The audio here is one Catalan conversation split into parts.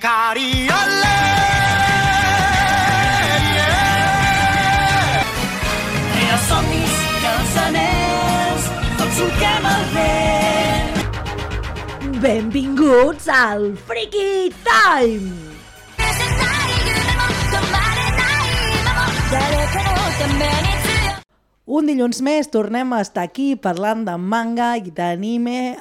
Cariole, els somnis i els anells, tots solquem el vent. Benvinguts al Freaky Time! Un dilluns més tornem a estar aquí parlant de manga i d'anime,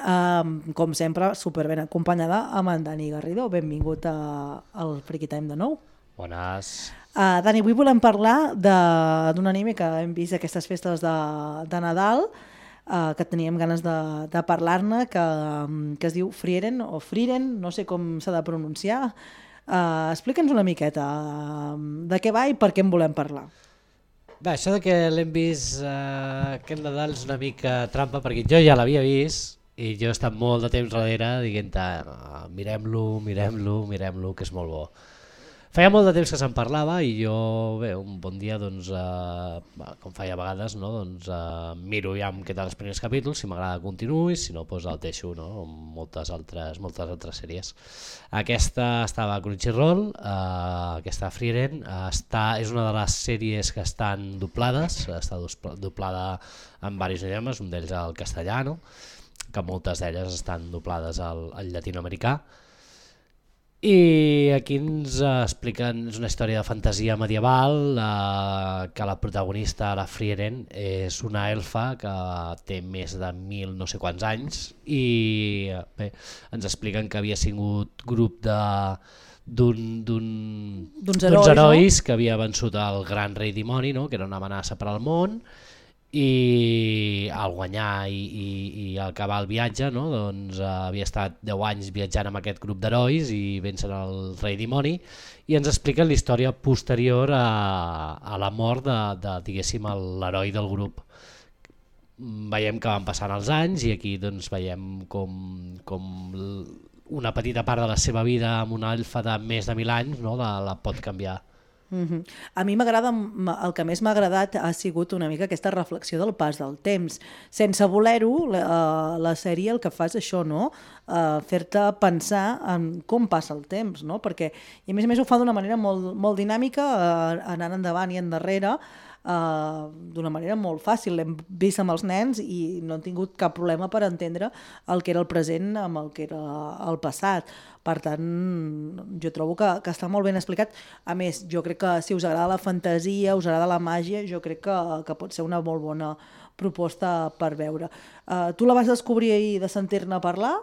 com sempre, superben acompanyada amb en Dani Garrido. Benvingut al Freaky Time de nou. Bones. Dani, avui volem parlar d'un anime que hem vist aquestes festes de Nadal, que teníem ganes de parlar-ne, que es diu Frieren o Frieren, no sé com s'ha de pronunciar. Explica'ns una miqueta de què va i per què en volem parlar. Bé, això de que l'hem vist aquest Nadal és una mica trampa, perquè jo ja l'havia vist i jo he estat molt de temps darrere dient-te mirem-lo, que és molt bo. Feia molt de temps que se'n parlava i jo, bé, un bon dia, doncs, com feia a vegades, no, doncs, miro ja què tal els primers capítols, si m'agrada continuo i si no, doncs el deixo, no, amb moltes altres sèries. Aquesta estava a Crunchyroll, aquesta Frieren, és una de les sèries que estan doblades, està doblada en diversos idiomes, un d'ells el castellà, no? Que moltes d'elles estan doblades al llatinoamericà. I aquí ens expliquen, és una història de fantasia medieval, que la protagonista, la Frieren, és una elfa que té més de 1000 no sé quants anys i bé, ens expliquen que havia sigut grup d'uns herois, no? Que havia vençut el gran rei dimoni, no? Que era una amenaça per al món, i al guanyar i al acabar el viatge, no? Doncs, havia estat 10 anys viatjant amb aquest grup d'herois i vencen el rei dimoni i ens expliquen la història posterior a la mort diguéssim, l'heroi del grup. Veiem que van passant els anys i aquí doncs, veiem com una petita part de la seva vida amb una elfa de més de 1000 anys, no? la pot canviar. A mi m'agrada, el que més m'ha agradat ha sigut una mica aquesta reflexió del pas del temps. Sense voler-ho, la sèrie el que fa és això, no? Fer-te pensar en com passa el temps, no? Perquè, i a més ho fa d'una manera molt dinàmica, anant endavant i endarrere, d'una manera molt fàcil. L'hem vist amb els nens i no han tingut cap problema per entendre el que era el present amb el que era el passat. Per tant, jo trobo que està molt ben explicat. A més, jo crec que si us agrada la fantasia, us agrada la màgia, jo crec que pot ser una molt bona proposta per veure. Tu la vas descobrir ahir de sentir-ne parlar?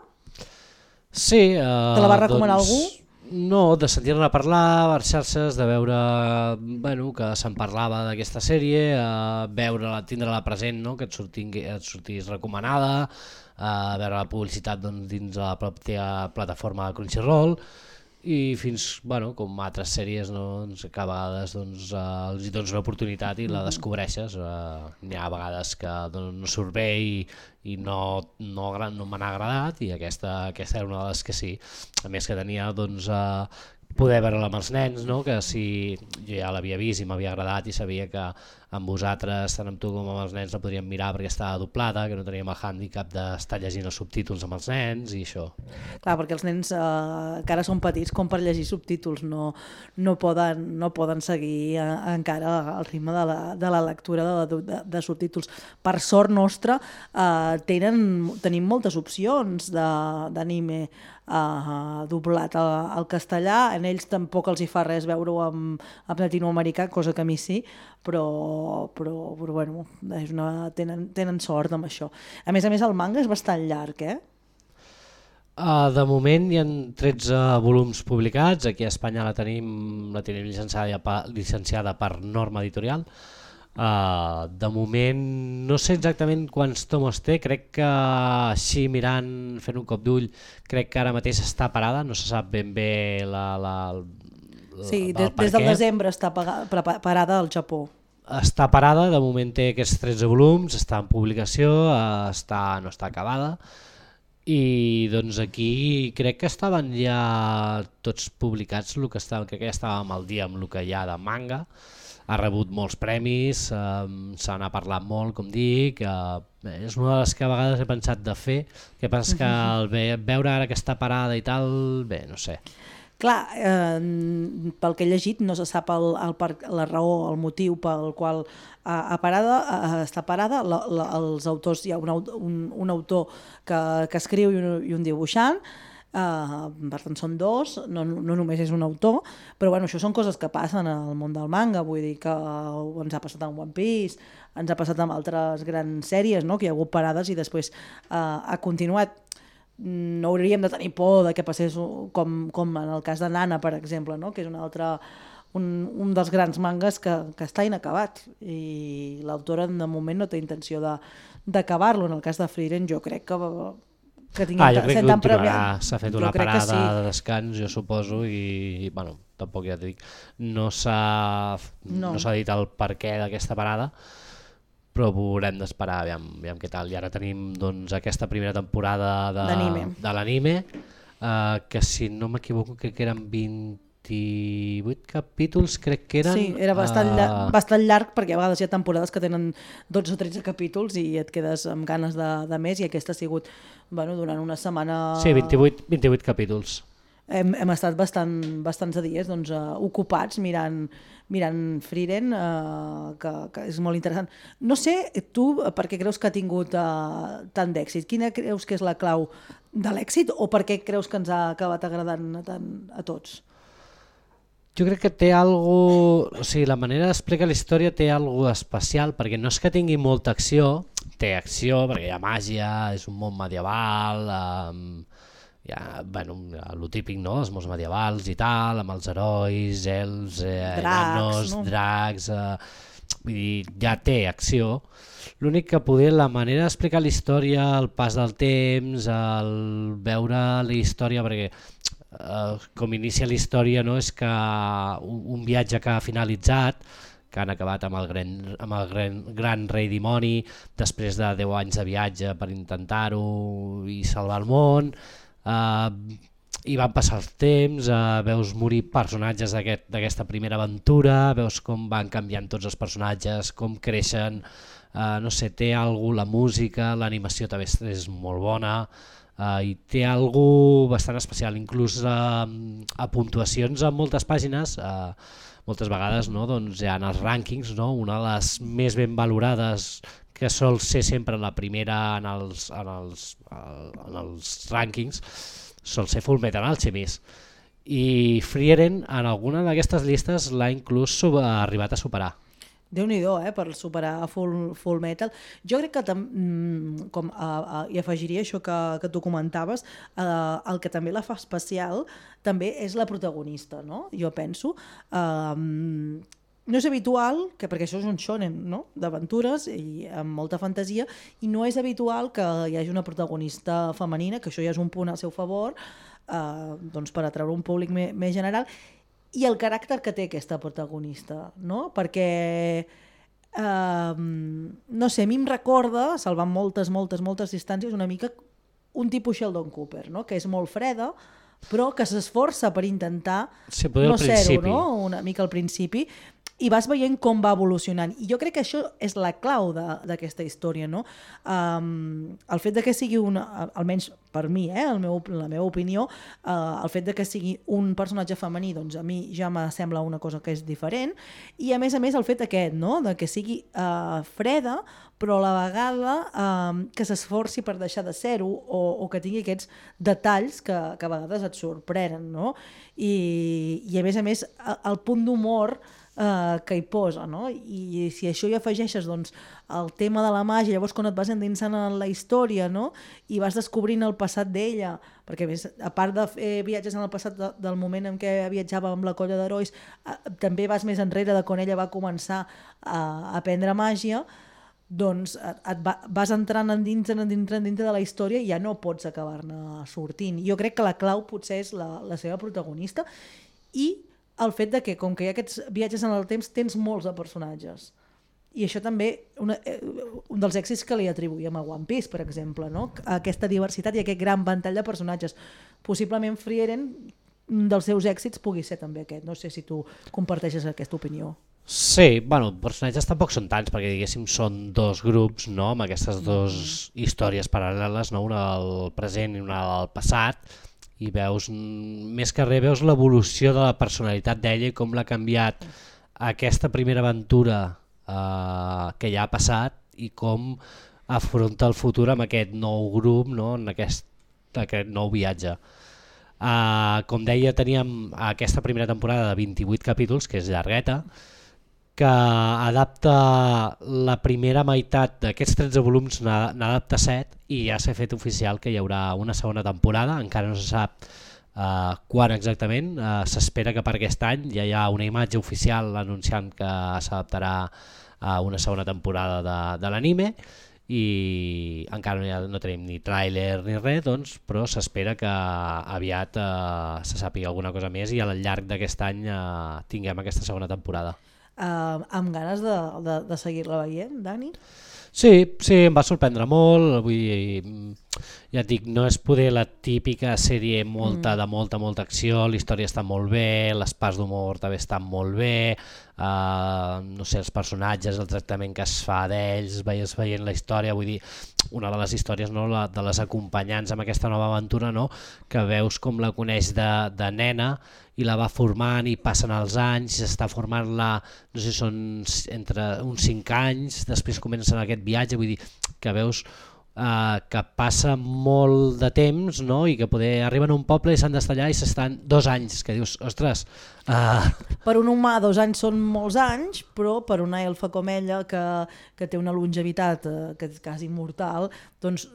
Sí. Te la va recomanar algú? No, de sentir-ne parlar a les xarxes, de veure que se'n parlava d'aquesta sèrie, veure-la, tindre-la present, no? Que et sortís recomanada, veure la publicitat dins de la pròpia plataforma de Crunchyroll i fins, com altres sèries, no? Que a vegades els hi dones una oportunitat i la descobreixes. N'hi ha vegades que no surt bé i no me n'ha agradat i aquesta era una de les que sí. A més que tenia poder veure-la amb els nens, no? Que si jo ja l'havia vist i m'havia agradat i sabia que amb vosaltres, tant amb tu com amb els nens, la podríem mirar perquè estava doblada, que no teníem el hàndicap d'estar llegint els subtítols amb els nens i això. Clar, perquè els nens que ara són petits com per llegir subtítols, no poden seguir encara el ritme de la lectura de subtítols. Per sort nostra tenim moltes opcions d'anime doblat al castellà. En ells tampoc els hi fa res veure-ho en llatinoamericà, cosa que a mi sí, però bueno, tenen sort amb això. A més, el manga és bastant llarg, De moment hi ha 13 volums publicats, aquí a Espanya la tenim llicenciada per Norma Editorial. De moment no sé exactament quants tomos té, crec que així mirant, fent un cop d'ull, crec que ara mateix està parada, no se sap ben bé sí, des del desembre està parada al Japó. Està parada, de moment té aquests 13 volums, està en publicació, no està acabada i doncs aquí crec que estaven ja tots publicats, crec que ja estàvem al dia amb el que hi ha de manga. Ha rebut molts premis, se n'ha parlat molt, com dic, és una de les que a vegades he pensat de fer, el que passa és que al veure ara que està parada i tal, bé, no sé. Clar, pel que he llegit no se sap la raó, el motiu pel qual està parada. Els autors, hi ha un autor que escriu i un dibuixant, per tant són dos, no només és un autor, però bueno, això són coses que passen al món del manga, vull dir que ens ha passat amb One Piece, ens ha passat amb altres grans sèries, no? Que hi ha hagut parades i després ha continuat. No hauríem de tenir por de que passés com en el cas de Nana, per exemple, no? Que és un dels grans mangas que està inacabat i l'autora de moment no té intenció d'acabar-lo. En el cas de Frieren jo crec que tingui jo crec que continuarà, s'ha fet una parada de descans, jo suposo, i bueno, tampoc ja t'ho dic, no s'ha dit el perquè d'aquesta parada, però haurem d'esperar aviam què tal. I ara tenim doncs, aquesta primera temporada de l'anime, que si no m'equivoco crec que eren 28 capítols, crec que eren. Sí, era bastant llarg, perquè a vegades hi ha temporades que tenen 12 o 13 capítols i et quedes amb ganes de més, i aquesta ha sigut durant una setmana... Sí, 28 capítols. Hem estat bastants dies ocupats mirant Frieren, que és molt interessant. No sé, tu, per què creus que ha tingut tant d'èxit? Quina creus que és la clau de l'èxit o per què creus que ens ha acabat agradant tant a tots? Jo crec que té algo, o sigui, la manera d'explicar la història té algo especial, perquè no és que tingui molta acció, té acció perquè hi ha màgia, és un món medieval, el típic, no? Els mons medievals i tal, amb els herois, elfs, enanos, dracs, vull dir, ja té acció. L'únic que poder, la manera d'explicar la història, el pas del temps, el veure la història, perquè com inicia la història, no? És que un viatge que ha finalitzat, que han acabat amb el gran rei dimoni, després de 10 anys de viatge per intentar-ho i salvar el món, i van passar el temps, veus morir personatges d'aquesta primera aventura, veus com van canviant tots els personatges, com creixen, no sé, té alguna cosa, la música, l'animació també és molt bona, i té alguna cosa bastant especial, inclús a puntuacions en moltes pàgines, moltes vegades, no? Doncs hi ha els rànquings, no? Una de les més ben valorades, que sol ser sempre la primera en els rànquings, sol ser Fullmetal Alchemist. I Frieren en alguna d'aquestes llistes l'ha inclús arribat a superar. Déu-n'hi-do, per superar Full Metal. Jo crec que i afegiria això que tu comentaves, el que també la fa especial també és la protagonista, no? Jo penso. No és habitual, perquè això és un shonen, no? D'aventures i amb molta fantasia, i no és habitual que hi hagi una protagonista femenina, que això ja és un punt al seu favor, doncs per atraure un públic més general, i el caràcter que té aquesta protagonista, no? Perquè, no sé, a mi em recorda, salvant moltes distàncies, una mica un tipus Sheldon Cooper, no? Que és molt freda, però que s'esforça per intentar no ser-ho, no? Una mica al principi, i vas veient com va evolucionant. I jo crec que això és la clau d'aquesta història, no? El fet de que sigui almenys per mi, la meva opinió, el fet de que sigui un personatge femení, doncs a mi ja me sembla una cosa que és diferent, i a més el fet aquest, no? De que sigui freda, però a la vegada que s'esforci per deixar de ser-ho, o que tingui aquests detalls que a vegades et sorprenen, no? I a més el punt d'humor que hi posa, no? I si això hi afegeixes doncs, el tema de la màgia, llavors quan et vas endinsant en la història, no? I vas descobrint el passat d'ella, perquè a part de fer viatges en el passat del moment en què viatjava amb la colla d'herois, també vas més enrere de quan ella va començar a aprendre màgia, doncs vas entrant dintre de la història i ja no pots acabar-ne sortint. Jo crec que la clau potser és la seva protagonista i el fet de que, com que hi ha aquests viatges en el temps, tens molts de personatges. I això també, un dels èxits que li atribuïm a One Piece, per exemple, no? Aquesta diversitat i aquest gran ventall de personatges. Possiblement Frieren, un dels seus èxits pugui ser també aquest. No sé si tu comparteixes aquesta opinió. Sí, personatges tampoc són tants, perquè diguéssim són dos grups, no? Amb aquestes dues històries paral·leles, no? Una del present i una del passat, i veus, més que res, veus l'evolució de la personalitat d'ella i com l'ha canviat aquesta primera aventura que ja ha passat i com afronta el futur amb aquest nou grup, no? En aquest nou viatge. Com deia, teníem aquesta primera temporada de 28 capítols, que és llargueta, que adapta la primera meitat d'aquests 13 volums, n'adapta 7 i ja s'ha fet oficial que hi haurà una segona temporada, encara no se sap quan exactament, s'espera que per aquest any ja hi ha una imatge oficial anunciant que s'adaptarà a una segona temporada de l'anime i encara no tenim ni tràiler ni res, doncs, però s'espera que aviat se sàpiga alguna cosa més i al llarg d'aquest any tinguem aquesta segona temporada. Amb ganes de seguir-la veient, Dani? Sí, em va sorprendre molt, vull dir, ja et dic, no és poder la típica sèrie de molta acció, la història està molt bé, les parts d'humor també estan molt bé, no sé, els personatges, el tractament que es fa d'ells, veies veient la història, vull dir, una de les històries, no, de les acompanyants amb aquesta nova aventura, no, que veus com la coneix de nena i la va formant i passen els anys, s'està formant-la, no sé, són entre uns 5 anys, després comencen aquest viatge, vull dir, que veus que passa molt de temps, no? I que poder arriben a un poble i s'han d'estar allà i s'estan 2 anys, que dius, ostres... Per un humà 2 anys són molts anys, però per una elfa com ella que té una longevitat que és quasi immortal, doncs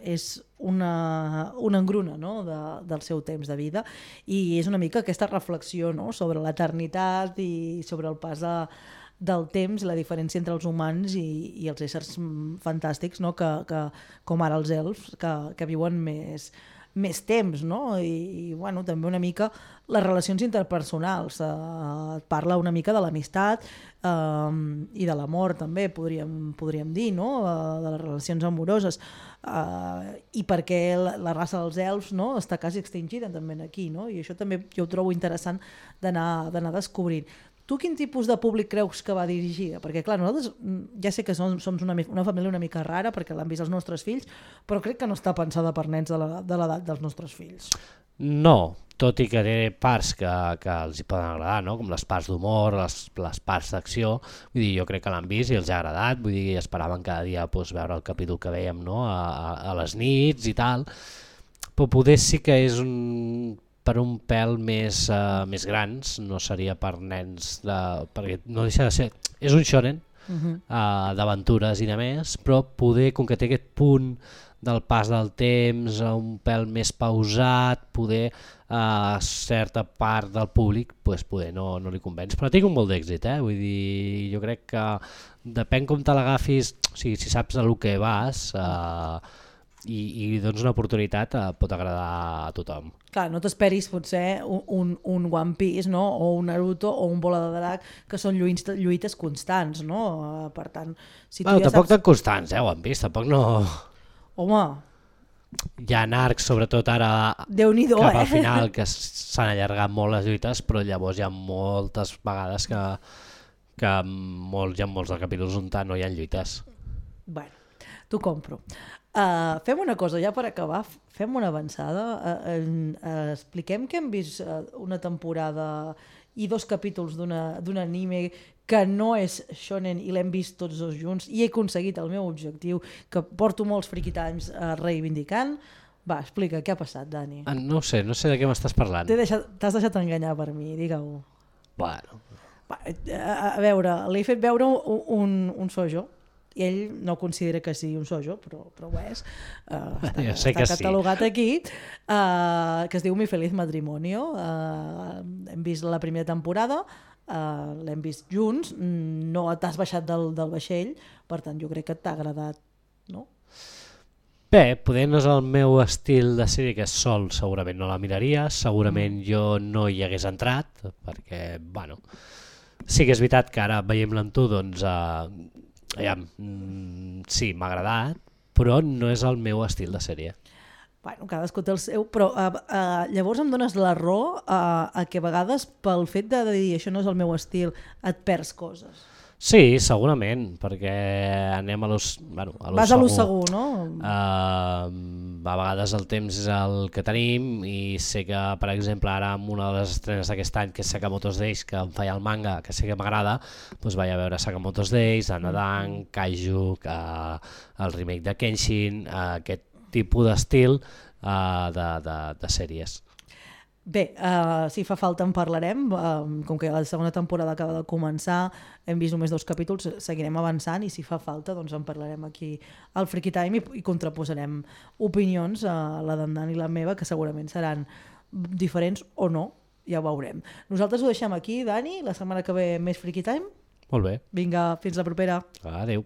és una engruna, no? Del seu temps de vida i és una mica aquesta reflexió, no? Sobre l'eternitat i sobre el pas del temps, la diferència entre els humans i els éssers fantàstics, no? que com ara els elfs, que viuen més temps, no? I bueno, també una mica les relacions interpersonals, parla una mica de l'amistat i de l'amor també, podríem dir, no? De les relacions amoroses, i perquè la raça dels elfs, no? Està quasi extingida també aquí, no? I això també jo ho trobo interessant d'anar descobrint. Tu quin tipus de públic creus que va dirigida? Perquè clar, nosaltres ja sé que som una família una mica rara perquè l'han vist els nostres fills, però crec que no està pensada per nens de l'edat dels nostres fills. No, tot i que té parts que els hi poden agradar, no? Com les parts d'humor, les parts d'acció, vull dir, jo crec que l'han vist i els ha agradat, vull dir, esperaven cada dia veure el capítol que veiem, no? A les nits i tal, però poder sí que és per un pèl més grans, no seria per nens, perquè no deixa de ser... És un shonen d'aventures i de més, però poder, com que té aquest punt del pas del temps, un pèl més pausat, poder a certa part del públic poder no li convenç, però ha tingut molt d'èxit, vull dir, jo crec que depèn com te l'agafis, o sigui, si saps a lo que vas... I doncs una oportunitat pot agradar a tothom. Clar, no t'esperis potser un One Piece, no? O un Naruto o un Bola de Drac, que són lluites constants, no? Per tant, si tu ja tampoc saps... tan constants, One Piece, tampoc no... Home... Hi ha arcs, sobretot ara Déu-n'hi-do, cap al final, que s'han allargat molt les lluites, però llavors hi ha moltes vegades que hi ha molts dels capítols on no hi ha lluites. Bueno, t'ho compro. Fem una cosa, ja per acabar, fem una avançada, expliquem que hem vist una temporada i 2 capítols d'un anime que no és shonen i l'hem vist tots 2 junts i he aconseguit el meu objectiu, que porto molts Freaky Times reivindicant. Va, explica, què ha passat, Dani? No sé de què m'estàs parlant. T'has deixat enganyar per mi, digue-ho. Bueno. A veure, l'he fet veure un shoujo, i ell no considera que sigui un shoujo, però ho és. Està catalogat aquí, que es diu Mi Feliz Matrimonio. Hem vist la primera temporada, l'hem vist junts, no t'has baixat del vaixell, per tant jo crec que t'ha agradat, no? Bé, poder no és el meu estil de sèrie, que és sol, segurament no la miraria, segurament jo no hi hagués entrat, perquè, bueno, sí que és veritat que ara veiem-la amb tu, doncs... sí, m'ha agradat, però no és el meu estil de sèrie. Bueno, cadascú té el seu, però llavors em dones la raó a que a vegades pel fet de dir això no és el meu estil et perds coses. Sí, segurament, perquè anem a l'ús... Bueno, Vas a l'ús segur, no? A vegades el temps és el que tenim i sé que, per exemple, ara amb una de les estrenes d'aquest any, que és Sakamoto's Days, que em feia el manga, que sé que m'agrada, doncs vaig a veure Sakamoto's Days, Dandadan, Kaiju, el remake de Kenshin, aquest tipus d'estil de sèries. Bé, si fa falta en parlarem, com que la segona temporada acaba de començar, hem vist només 2 capítols, seguirem avançant i si fa falta doncs en parlarem aquí al Freaky Time i contraposarem opinions a la d'en Dan i la meva, que segurament seran diferents o no, ja ho veurem. Nosaltres ho deixem aquí, Dani, la setmana que ve més Freaky Time. Molt bé. Vinga, fins la propera. Adéu.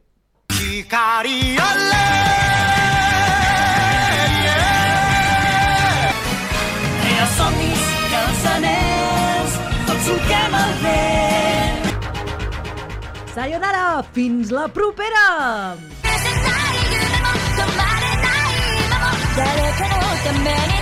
Somnis i els anells, tots truquem el vent. Sayonara, fins la propera! 誰かのために